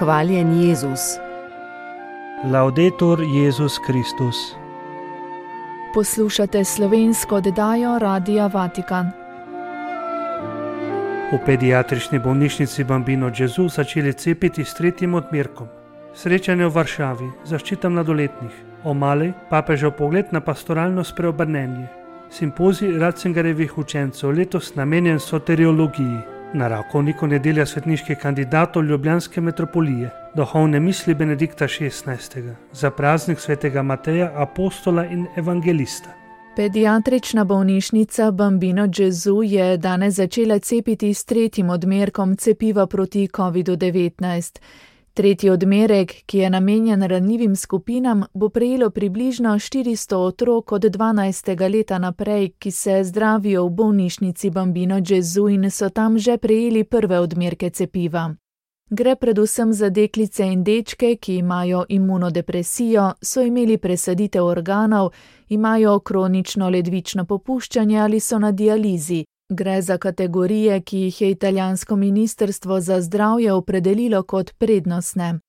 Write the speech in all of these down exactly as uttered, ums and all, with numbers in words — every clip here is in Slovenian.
Hvaljen Jezus. Laudetur Jezus Kristus. Poslušate slovensko oddajo Radia Vatikan. V pediatrični bolnišnici Bambino Gesù začeli cepiti s tretjim odmerkom. Srečanje v Varšavi, zaščita mladoletnih, o Mali, papežev pogled na pastoralno spreobrnenje. Simpozij Ratzingerjevih učencev, letos namenjen soteriologiji. Na Rakovniku nedelja svetniških kandidatov ljubljanske metropolije, duhovne misli Benedikta šestnajstega, za praznik svetega Mateja, apostola in evangelista. Pediatrična bolnišnica Bambino Gesù je danes začela cepiti s tretjim odmerkom cepiva proti kovidu devetnajst. Tretji odmerek, ki je namenjen ranljivim skupinam, bo prejelo približno štiristo otrok od dvanajstega leta naprej, ki se zdravijo v bolnišnici Bambino Gesù in so tam že prejeli prve odmerke cepiva. Gre predvsem za deklice in dečke, ki imajo imunodepresijo, so imeli presaditev organov, imajo kronično ledvično popuščanje ali so na dializi. Gre za kategorije, ki jih je italijansko ministrstvo za zdravje opredelilo kot prednostne.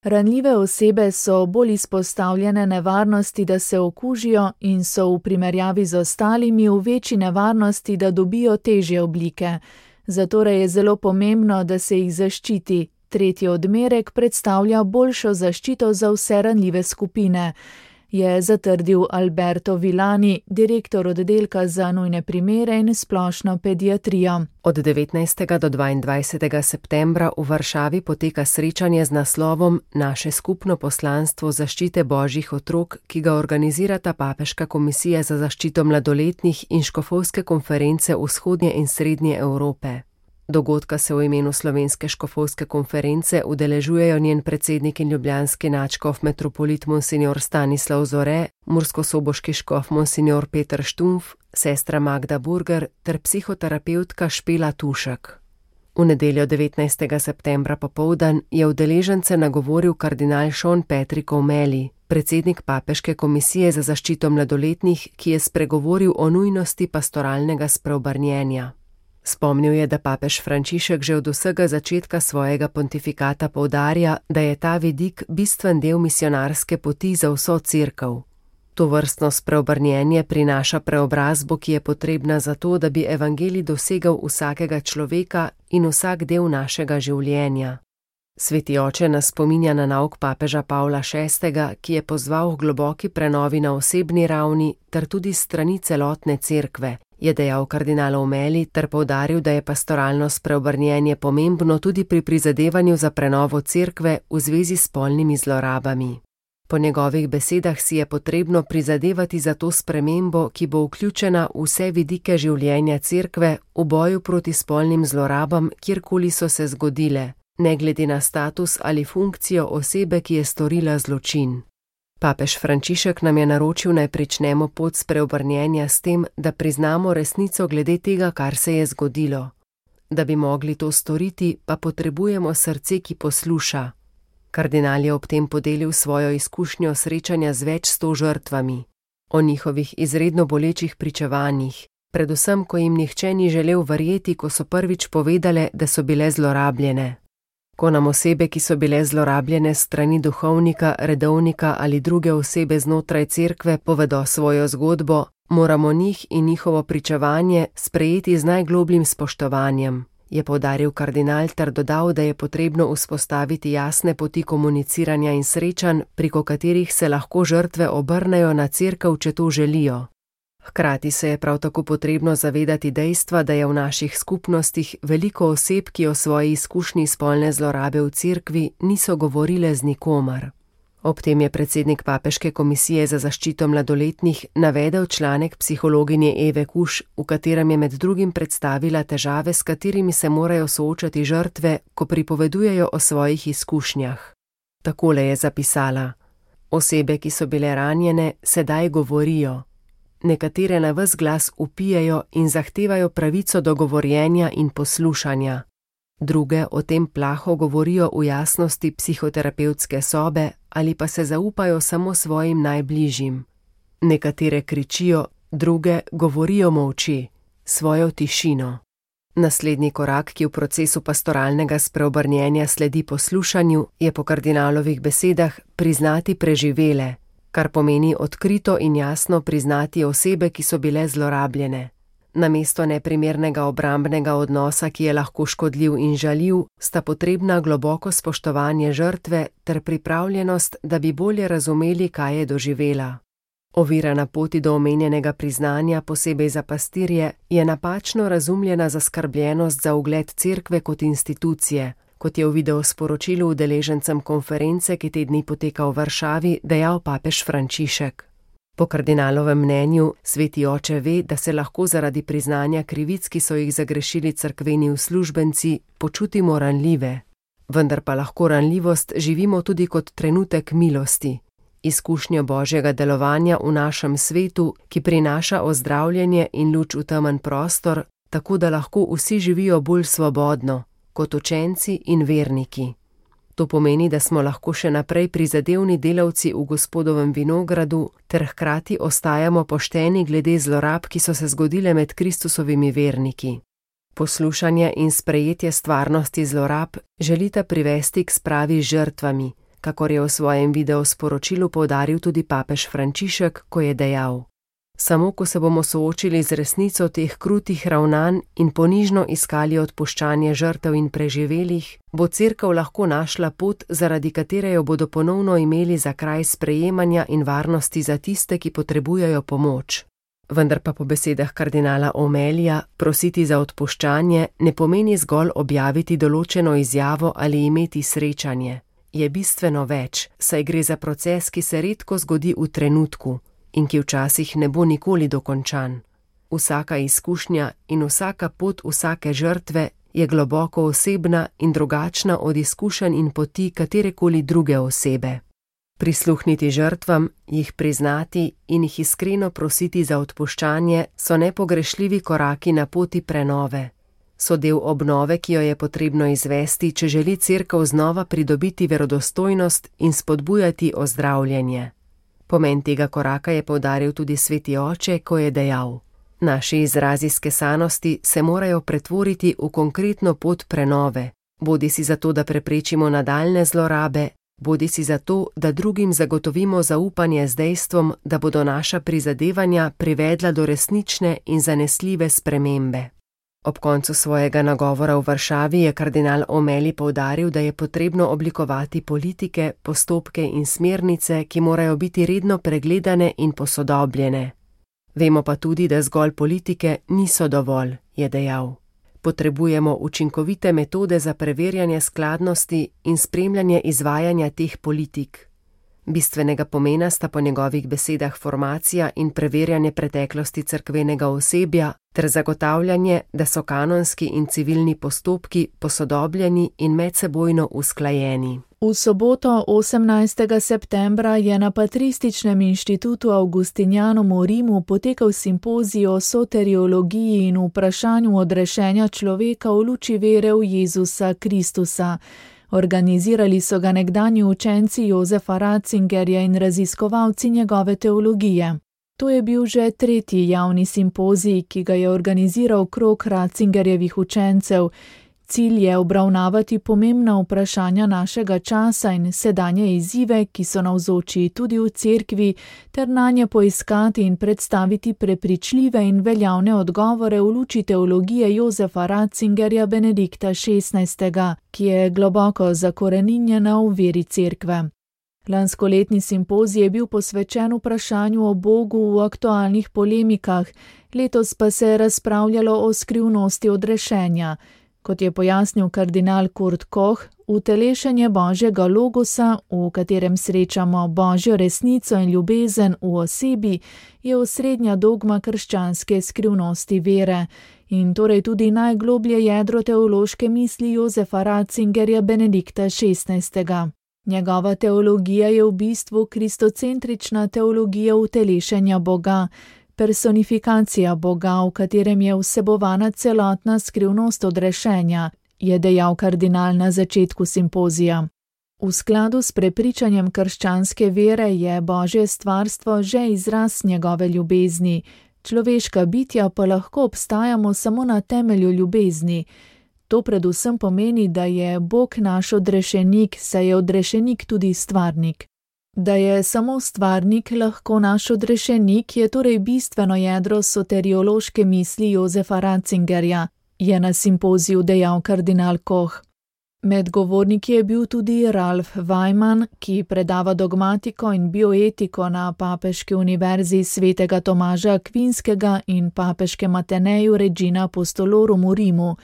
Ranljive osebe so bolj izpostavljene nevarnosti, da se okužijo in so v primerjavi z ostalimi v večji nevarnosti, da dobijo težje oblike. Zatorej je zelo pomembno, da se jih zaščiti. Tretji odmerek predstavlja boljšo zaščito za vse ranljive skupine, je zatrdil Alberto Villani, direktor oddelka za nujne primere in splošno pediatrijo. Od devetnajstega do dvaindvajsetega septembra v Varšavi poteka srečanje z naslovom Naše skupno poslanstvo zaščite božjih otrok, ki ga organizirata Papeška komisija za zaščito mladoletnih in škofovske konference Vzhodnje in Srednje Evrope. Dogodka se v imenu Slovenske škofovske konference udeležujejo njen predsednik in ljubljanski nadškof metropolit monsignor Stanislav Zore, murskosoboški škof monsignor Peter Štumf, sestra Magda Burger ter psihoterapeutka Špela Tušek. V nedeljo devetnajstega septembra popoldan je udeležence nagovoril kardinal Sean Patrick O'Malley, predsednik Papeške komisije za zaščito mladoletnih, ki je spregovoril o nujnosti pastoralnega spreobrnjenja. Spomnil je, da papež Frančišek že od vsega začetka svojega pontifikata poudarja, da je ta vidik bistven del misionarske poti za vso cerkev. Tovrstno spreobrnjenje prinaša preobrazbo, ki je potrebna za to, da bi evangelij dosegal vsakega človeka in vsak del našega življenja. Sveti oče nas spominja na nauk papeža Pavla šestega, ki je pozval k globoki prenovi na osebni ravni ter tudi s strani celotne cerkve, je dejal kardinal O'Malley ter poudaril, da je pastoralno spreobrnjenje pomembno tudi pri prizadevanju za prenovo cerkve v zvezi s spolnimi zlorabami. Po njegovih besedah si je potrebno prizadevati za to spremembo, ki bo vključena v vse vidike življenja cerkve v boju proti spolnim zlorabam, kjerkoli so se zgodile, ne glede na status ali funkcijo osebe, ki je storila zločin. Papež Frančišek nam je naročil, naj pričnemo pot spreobrnjenja s tem, da priznamo resnico glede tega, kar se je zgodilo. Da bi mogli to storiti, pa potrebujemo srce, ki posluša. Kardinal je ob tem podelil svojo izkušnjo srečanja z več sto žrtvami, o njihovih izredno bolečih pričevanjih, predvsem, ko jim nihče ni želel verjeti, ko so prvič povedale, da so bile zlorabljene. Ko nam osebe, ki so bile zlorabljene strani duhovnika, redovnika ali druge osebe znotraj cerkve, povedo svojo zgodbo, moramo njih in njihovo pričevanje sprejeti z najglobljim spoštovanjem, je poudaril kardinal ter dodal, da je potrebno vzpostaviti jasne poti komuniciranja in srečanj, preko katerih se lahko žrtve obrnejo na cerkev, če to želijo. Hkrati se je prav tako potrebno zavedati dejstva, da je v naših skupnostih veliko oseb, ki o svoji izkušnji spolne zlorabe v cerkvi niso govorile z nikomer. Ob tem je predsednik Papeške komisije za zaščito mladoletnih navedel članek psihologinje Eve Kuš, v katerem je med drugim predstavila težave, s katerimi se morajo soočati žrtve, ko pripovedujejo o svojih izkušnjah. Takole je zapisala: Osebe, ki so bile ranjene, sedaj govorijo. Nekatere na ves glas vpijejo in zahtevajo pravico do govorjenja in poslušanja. Druge o tem plaho govorijo v jasnosti psihoterapevtske sobe ali pa se zaupajo samo svojim najbližjim. Nekatere kričijo, druge govorijo molči, svojo tišino. Naslednji korak, ki v procesu pastoralnega spreobrnjenja sledi poslušanju, je po kardinalovih besedah priznati preživele, kar pomeni odkrito in jasno priznati osebe, ki so bile zlorabljene. Namesto neprimernega obrambnega odnosa, ki je lahko škodljiv in žaljiv, sta potrebna globoko spoštovanje žrtve ter pripravljenost, da bi bolje razumeli, kaj je doživela. Ovira na poti do omenjenega priznanja, posebej za pastirje, je napačno razumljena zaskrbljenost za ugled cerkve kot institucije, kot je v videosporočilu udeležencem konference, ki te dni poteka v Varšavi, dejal papež Frančišek. Po kardinalovem mnenju sveti oče ve, da se lahko zaradi priznanja krivic, ki so jih zagrešili cerkveni uslužbenci, počutimo ranljive. Vendar pa lahko ranljivost živimo tudi kot trenutek milosti, izkušnjo Božjega delovanja v našem svetu, ki prinaša ozdravljenje in luč v temen prostor, tako da lahko vsi živijo bolj svobodno, kot učenci in verniki. To pomeni, da smo lahko še naprej prizadevni delavci v Gospodovem vinogradu ter hkrati ostajamo pošteni glede zlorab, ki so se zgodile med Kristusovimi verniki. Poslušanje in sprejetje stvarnosti zlorab želita privesti k spravi z žrtvami, kakor je v svojem videosporočilu poudaril tudi papež Frančišek, ko je dejal: Samo ko se bomo soočili z resnico teh krutih ravnanj in ponižno iskali odpuščanje žrtev in preživelih, bo cerkev lahko našla pot, zaradi katere jo bodo ponovno imeli za kraj sprejemanja in varnosti za tiste, ki potrebujejo pomoč. Vendar pa po besedah kardinala Omelija prositi za odpuščanje ne pomeni zgolj objaviti določeno izjavo ali imeti srečanje. Je bistveno več, saj gre za proces, ki se redko zgodi v trenutku in ki včasih ne bo nikoli dokončan. Vsaka izkušnja in vsaka pot vsake žrtve je globoko osebna in drugačna od izkušenj in poti katerekoli druge osebe. Prisluhniti žrtvam, jih priznati in jih iskreno prositi za odpuščanje so nepogrešljivi koraki na poti prenove. So del obnove, ki jo je potrebno izvesti, če želi cerkev znova pridobiti verodostojnost in spodbujati ozdravljenje. Pomen tega koraka je poudaril tudi sveti oče, ko je dejal: Naši izrazi skesanosti se morajo pretvoriti v konkretno pot prenove, bodisi zato, da preprečimo nadaljne zlorabe, bodisi zato, da drugim zagotovimo zaupanje z dejstvom, da bodo naša prizadevanja privedla do resnične in zanesljive spremembe. Ob koncu svojega nagovora v Varšavi je kardinal Omeli poudaril, da je potrebno oblikovati politike, postopke in smernice, ki morajo biti redno pregledane in posodobljene. Vemo pa tudi, da zgolj politike niso dovolj, je dejal. Potrebujemo učinkovite metode za preverjanje skladnosti in spremljanje izvajanja teh politik. Bistvenega pomena sta po njegovih besedah formacija in preverjanje preteklosti cerkvenega osebja ter zagotavljanje, da so kanonski in civilni postopki posodobljeni in medsebojno usklajeni. V soboto osemnajstega septembra je na Patrističnem inštitutu Augustinianum v Rimu potekal simpozij o soteriologiji in vprašanju odrešenja človeka v luči vere v Jezusa Kristusa. Organizirali so ga nekdanji učenci Jozefa Ratzingerja in raziskovalci njegove teologije. To je bil že tretji javni simpozij, ki ga je organiziral krog Ratzingerjevih učencev. Cilj je obravnavati pomembna vprašanja našega časa in sedanje izzive, ki so navzoči tudi v cerkvi, ter nanje poiskati in predstaviti prepričljive in veljavne odgovore v luči teologije Jozefa Ratzingerja Benedikta šestnajstega, ki je globoko zakoreninjena v veri cerkve. Lanskoletni simpozij je bil posvečen vprašanju o Bogu v aktualnih polemikah, letos pa se je razpravljalo o skrivnosti odrešenja. Kot je pojasnil kardinal Kurt Koch, utelešenje Božjega logosa, v katerem srečamo Božjo resnico in ljubezen v osebi, je osrednja dogma krščanske skrivnosti vere in torej tudi najgloblje jedro teološke misli Jozefa Ratzingerja Benedikta šestnajstega. Njegova teologija je v bistvu kristocentrična teologija utelešenja Boga, personifikacija Boga, v katerem je vsebovana celotna skrivnost odrešenja, je dejal kardinal na začetku simpozija. V skladu s prepričanjem krščanske vere je Božje stvarstvo že izraz njegove ljubezni. človeška bitja pa lahko obstajamo samo na temelju ljubezni. To predvsem pomeni, da je Bog naš odrešenik, saj je odrešenik tudi stvarnik. Da je samo stvarnik lahko naš odrešenik, je torej bistveno jedro soteriološke misli Josefa Ratzingerja, je na simpoziju dejal kardinal Koch. Med govorniki je bil tudi Ralf Weimann, ki predava dogmatiko in bioetiko na Papeški univerzi svetega Tomaža Akvinskega in Papeškem Ateneju Regina Apostolorum v Rimu.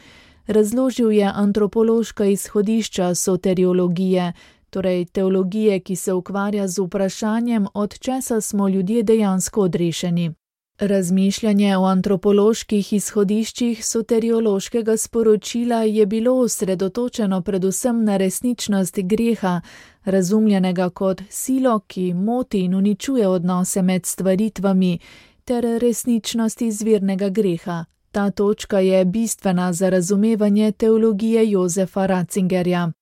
Razložil je antropološka izhodišča soteriologije, torej teologije, ki se ukvarja z vprašanjem, od česa smo ljudje dejansko odrešeni. Razmišljanje o antropoloških izhodiščih soteriološkega sporočila je bilo osredotočeno predvsem na resničnost greha, razumljenega kot silo, ki moti in uničuje odnose med stvaritvami, ter resničnost izvirnega greha. Ta točka je bistvena za razumevanje teologije Josefa Ratzingerja.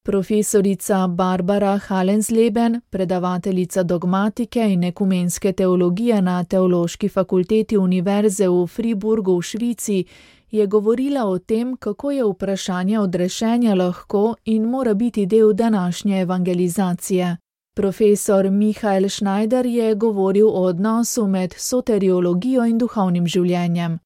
Profesorica Barbara Hallensleben, predavateljica dogmatike in ekumenske teologije na Teološki fakulteti Univerze v Friburgu v Švici, je govorila o tem, kako je vprašanje odrešenja lahko in mora biti del današnje evangelizacije. Profesor Michael Schneider je govoril o odnosu med soteriologijo in duhovnim življenjem.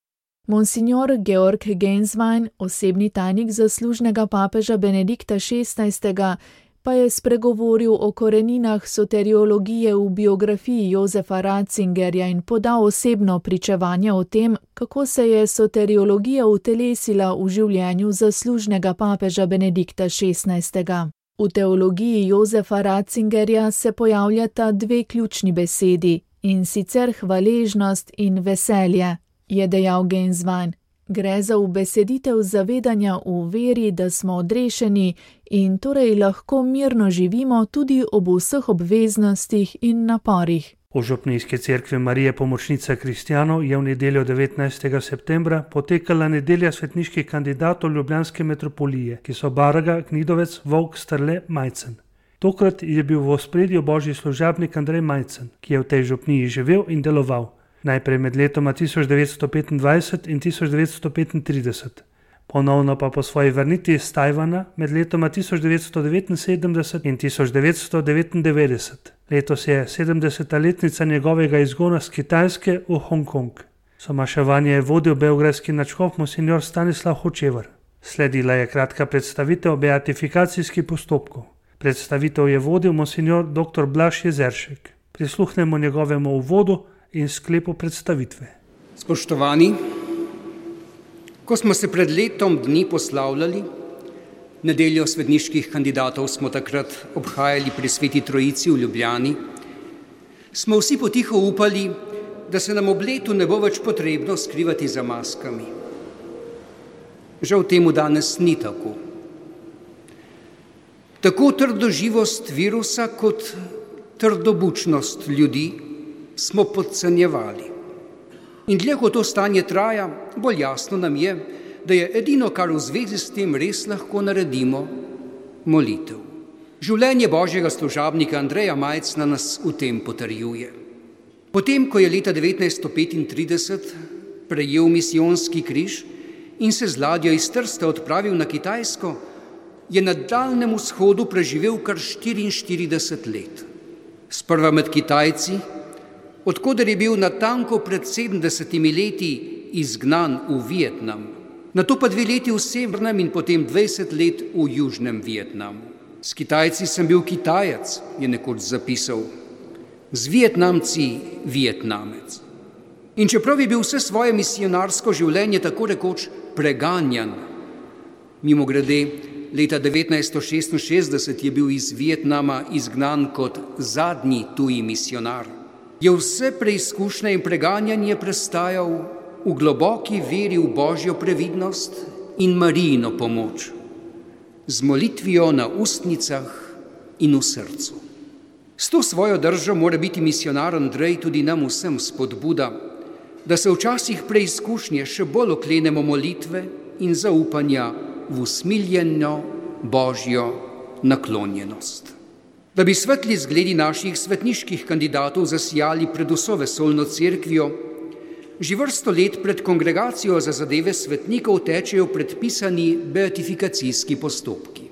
Monsignor Georg Genswein, osebni tajnik zaslužnega papeža Benedikta šestnajstega, pa je spregovoril o koreninah soteriologije v biografiji Josefa Ratzingerja in podal osebno pričevanje o tem, kako se je soteriologija utelesila v življenju zaslužnega papeža Benedikta šestnajstega. V teologiji Josefa Ratzingerja se pojavljata dve ključni besedi, in sicer hvaležnost in veselje, je dejal Genswein. Gre za ubeseditev zavedanja v veri, da smo odrešeni in torej lahko mirno živimo tudi ob vseh obveznostih in naporih. V Župnijski cerkvi Marije Pomočnice kristjanov je v nedeljo devetnajstega septembra potekala nedelja svetniških kandidatov ljubljanske metropolije, ki so Baraga, Knidovec, Volk, Strle, Majcen. Tokrat je bil v ospredju božji služabnik Andrej Majcen, ki je v tej župniji živel in deloval. Najprej med letoma tisoč devetsto petindvajset in tisoč devetsto petintrideset, ponovno pa po svoji vrnitvi iz Tajvana med letoma tisoč devetsto devetinsedemdeset in tisoč devetsto devetindevetdeset. Letos je sedemdeseta letnica njegovega izgona z Kitajske v Hongkong. Somaševanje je vodil beograjski nadškof monsignor Stanislav Hočevar. Sledila je kratka predstavitev beatifikacijskih postopkov. Predstavitev je vodil monsignor dr. Blaž Jezeršek. Prisluhnemo njegovemu uvodu in sklepu predstavitve. Spoštovani, ko smo se pred letom dni poslavljali, nedeljo svetniških kandidatov smo takrat obhajali pri Sveti Trojici v Ljubljani, smo vsi potiho upali, da se nam ob letu ne bo več potrebno skrivati za maskami. Žal temu danes ni tako. Tako trdoživost virusa kot trdobučnost ljudi smo podcenjevali. In dlje ko to stanje traja, bolj jasno nam je, da je edino, kar v zvezi s tem res lahko naredimo, molitev. Življenje božjega služabnika Andreja Majcna nas v tem potrjuje. Potem, ko je leta devetnajststo petintrideset prejel misijonski križ in se z ladjo iz Trsta odpravil na Kitajsko, je na Daljnem vzhodu preživel kar štiriinštirideset let. Sprva med Kitajci, odkoder je bil natanko pred sedemdesetimi leti izgnan v Vietnam, nato pa dve leti v severnem in potem dvajset let v južnem Vietnamu. S Kitajci sem bil Kitajec, je nekoč zapisal, z Vietnamci Vietnamec. In čeprav je bil vse svoje misijonarsko življenje tako rekoč preganjan, mimogrede, leta devetnajststo šestinšestdeset je bil iz Vietnama izgnan kot zadnji tuji misijonar, je vse preizkušnje in preganjanje prestajal v globoki veri v božjo previdnost in Marijino pomoč, z molitvijo na ustnicah in v srcu. S to svojo držo mora biti misijonar Andrej tudi nam vsem spodbuda, da se včasih preizkušnje še bolj oklenemo molitve in zaupanja v usmiljeno božjo naklonjenost. Da bi svetli zgledi naših svetniških kandidatov zasijali pred vso vesoljno cerkvijo, Že vrsto let pred kongregacijo za zadeve svetnikov tečejo predpisani beatifikacijski postopki.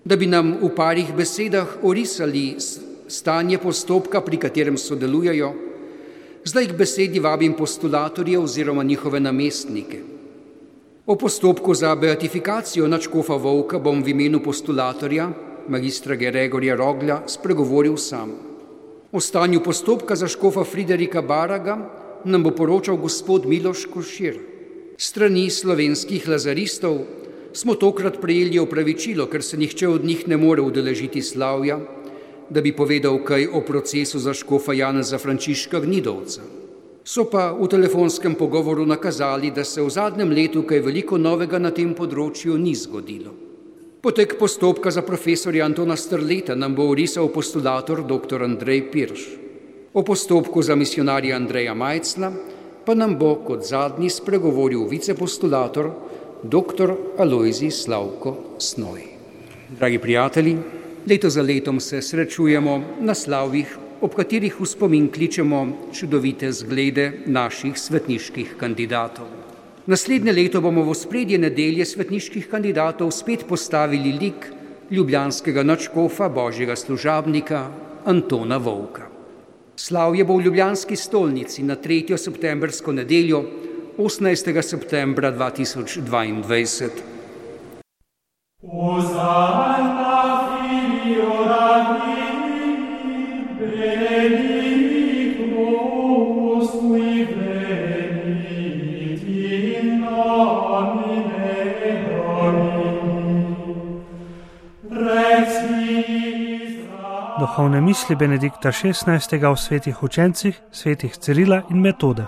Da bi nam v parih besedah orisali stanje postopka, pri katerem sodelujejo, zdaj k besedi vabim postulatorje oziroma njihove namestnike. O postopku za beatifikacijo nadškofa Vovka bom v imenu postulatorja, magistra Gregorja Roglja, spregovoril sam. O stanju postopka za škofa Friderika Baraga nam bo poročal gospod Miloš Košir. Strani slovenskih lazaristov smo tokrat prejeli opravičilo, ker se nihče od njih ne more udeležiti slavja, da bi povedal kaj o procesu za škofa Janeza Frančiška Gnidovca. So pa v telefonskem pogovoru nakazali, da se v zadnjem letu kaj veliko novega na tem področju ni zgodilo. Potek postopka za profesorja Antona Strleta nam bo orisal postulator dr. Andrej Pirš. O postopku za misijonarja Andreja Majcla pa nam bo kot zadnji spregovoril vicepostulator dr. Alojzij Slavko Snoj. Dragi prijatelji, leto za letom se srečujemo na slavjih, ob katerih v spomin kličemo čudovite zglede naših svetniških kandidatov. Naslednje leto bomo v ospredje nedelje svetniških kandidatov spet postavili lik ljubljanskega nadškofa Božjega služabnika Antona Vovka. Slavje bo v ljubljanski stolnici na tretjo septembrsko nedeljo, osemnajstega septembra dva tisoč dvaindvajset. Duhovne misli Benedikta šestnajstega o svetih učencih, svetih Cirila in Metode.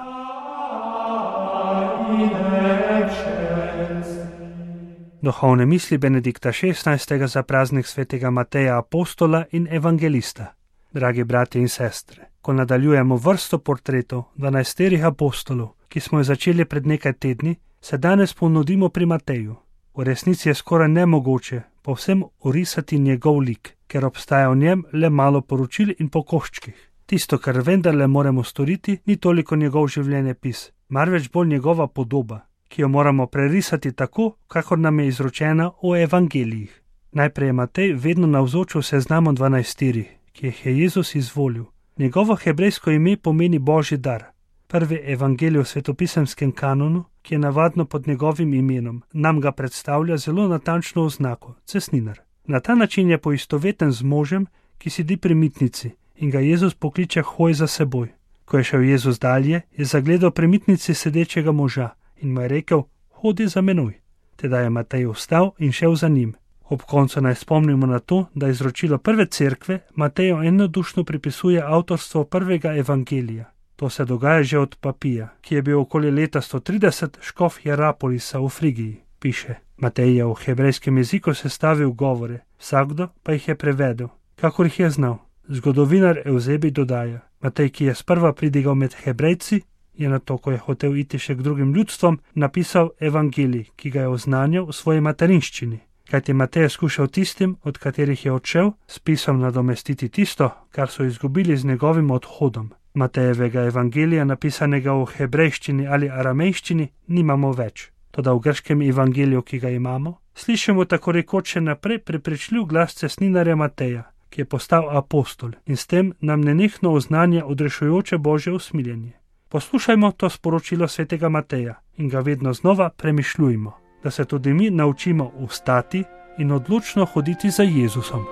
Duhovne misli Benedikta šestnajstega za praznik svetega Mateja apostola in evangelista. Dragi bratje in sestre, ko nadaljujemo vrsto portretov dvanajsterih apostolov, ki smo jo začeli pred nekaj tedni, se danes ponudimo pri Mateju. V resnici je skoraj nemogoče povsem orisati njegov lik, ker obstaja v njem le malo poročil in po koščkih. Tisto, kar vendarle moramo storiti, ni toliko njegov življenjepis, marveč bolj njegova podoba, ki jo moramo prerisati tako, kakor nam je izročena v evangelijih. Najprej je Matej vedno navzoč v seznamu dvanajsterih, ki jih je Jezus izvolil. Njegovo hebrejsko ime pomeni Božji dar. Prvi evangelij v svetopisemskem kanonu, ki je navadno pod njegovim imenom, nam ga predstavlja zelo natančno oznako, cestninar. Na ta način je poistoveten z možem, ki sedi pri mitnici in ga Jezus pokliče hoj za seboj. Ko je šel Jezus dalje, je zagledal pri mitnici sedečega moža in mu je rekel, hodi za menoj. Teda je Matej vstal in šel za njim. Ob koncu naj spomnimo na to, da izročilo prve cerkve Mateju enodušno pripisuje avtorstvo prvega evangelija. To se dogaja že od Papija, ki je bil okoli leta sto trideset škof Hierapolisa v Frigiji. Piše, Matej je v hebrejskem jeziku sestavil govore, vsakdo pa jih je prevedel, kakor jih je znal. Zgodovinar Evzebij dodaja, Matej, ki je sprva pridigal med Hebrejci, je nato, ko je hotel iti še k drugim ljudstvom, napisal evangelij, ki ga je oznanjal v svoji materinščini. Kajti Matej je skušal tistim, od katerih je odšel, s pisom nadomestiti tisto, kar so izgubili z njegovim odhodom. Matejevega evangelija, napisanega v hebrejščini ali aramejščini, nimamo več. Toda v grškem evangeliju, ki ga imamo, slišimo tako rekoč še naprej prepričljiv glas cestninarja Mateja, ki je postal apostol in s tem nam nenehno oznanja odrešujoče Božje usmiljenje. Poslušajmo to sporočilo svetega Mateja in ga vedno znova premišljujmo, da se tudi mi naučimo ustati in odločno hoditi za Jezusom.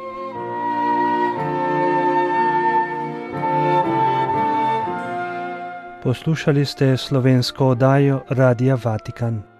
Poslušali ste slovensko oddajo Radia Vatikan.